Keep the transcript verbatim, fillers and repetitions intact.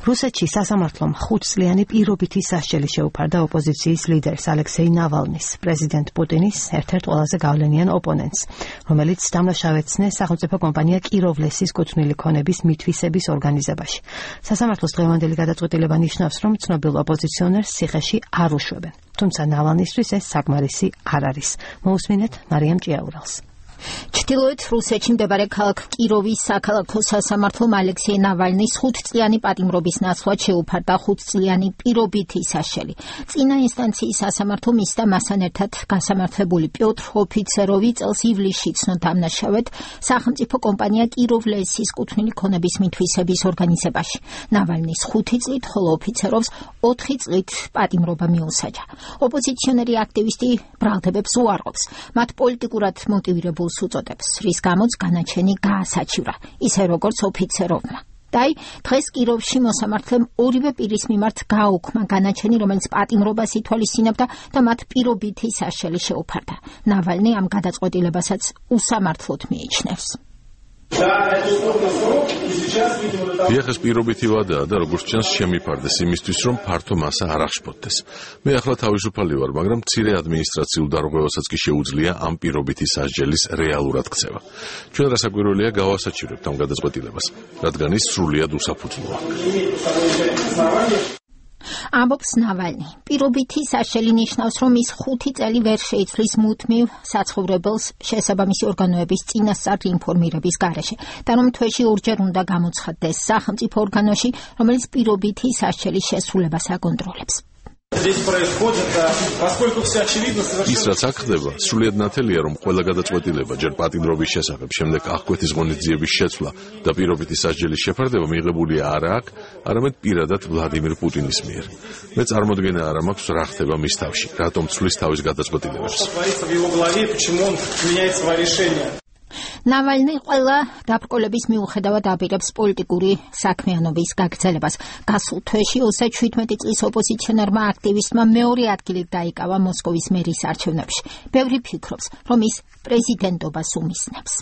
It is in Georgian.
რუსეთში სასამართლომ ხუთწლიანი პირობითი სასჯელი შეუფარდა ოპოზიციის ლიდერს ალექსეი ნავალნის, პრეზიდენტ პუტინის ერთ-ერთ ყველაზე გავლენიან ოპონენტს, რომელიც დამნაშავე ეცნეს სახელმწიფო კომპანია კიროვლესის კუთვნილი ქონების მითვისების ორგანიზებაში. სასამართლოს დღევანდელი გადაწყვეტილება ნიშნავს, რომ ცნობილ ოპოზიციონერს ციხეში არ უშვებენ. თუმცა ნავალნისთვის ეს საკმარისი არ არის. მოусმინეთ მარიამ ჭიაურელს. ჩრდილოეთ რუსეთში მდებარე ქალაქ კიროვის საქალაქო სასამართლომ ალექსეი ნავალნის ხუთწლიანი პატიმრობის ნაცვლად შეუფარდა ხუთწლიანი პირობითი სასჯელი. წინა ინსტანციის სასამართლომ ის და მასთან ერთად გასამართლებული პიოტრ ოფიცეროვი წელს ივლისში ცნო დამნაშავედ სახელმწიფო კომპანია კიროვლესის კუთვნილი ქონების მითვისების ორგანიზებაში. ნავალნის ხუთი წლით, ხოლო ოფიცეროვს ოთხი წლით პატიმრობა მიუსაჯა. ოპოზიციონერი აქტივისტი ბრალდებებს უარყოფს, მათ პოლიტიკურად მოტივირებულ უწოდებს, რის გამოც განაჩენი გაასაჩივრა, ისე როგორც ოფიცეროვმა. და დღეს კიროვში მოსამართლემ ორივე პირის მიმართ გააუქმა განაჩენი, რომელიც პატიმრობას ითვალისწინებდა და მათ პირობითი სასჯელი შეუფარდა. ნავალნი ამ გადაწყვეტილებასაც უსამართლოდ მიიჩნევს. Ეხეს პირობითი ვადაა და როგორც ჩანს შემიფარდეს იმისთვის, რომ ფართო მასა არ აღშფოთდეს. მე ახლა თავისუფალი ვარ, მაგრამ მცირე ადმინისტრაციულ დარღვევასაც კი შეუძლია ამ პირობითი სასჯელის რეალურად ქცევა. ჩვენ რასაკვირველია გავასაჩივრებთ ამ გადაწყვეტილებას, რადგან ის სრულიად უსაფუძვლოა. ამბობს ნავალნი. პირობითი სასჯელი ნიშნავს, რომ ის ხუთი წელი ვერ შეიცვლის მუდმივ საცხოვრებელს შესაბამისი ორგანოების წინასწარ ინფორმირების გარეშე და რომ თვეში ორჯერ უნდა გამოცხადდეს სახელმწიფო ორგანოში, რომელიც პირობითი სასჯელის შესრულებას აკონტროლებს. ის რაც აქ ხდება, სრულიად ნათელია, რომ ყველა გადაწყვეტილება ჯერ პატიმრობის შესახებ, შემდეგ აღკვეთის ღონისძიების შეცვლა და პირობითი სასჯელის შეფარდება მიღებულია არა აქ, არამედ პირადად ვლადიმირ პუტინის მიერ. მე წარმოდგენა არ მაქვს რა ხდება მის თავში, რატომ ცვლის თავის გადაწყვეტილებებს. ნავალნი ყველა დაბრკოლების მიუხედავად აპირებს პოლიტიკური საქმიანობის გაგრძელებას. გასულ თვეში ოცდაშვიდმეტი წლის ოპოზიციონერმა აქტივისტმა მეორე ადგილი დაიკავა მოსკოვის მერის არჩევნებში. ბევრი ფიქრობს, რომ ის პრეზიდენტობას უმისნებს.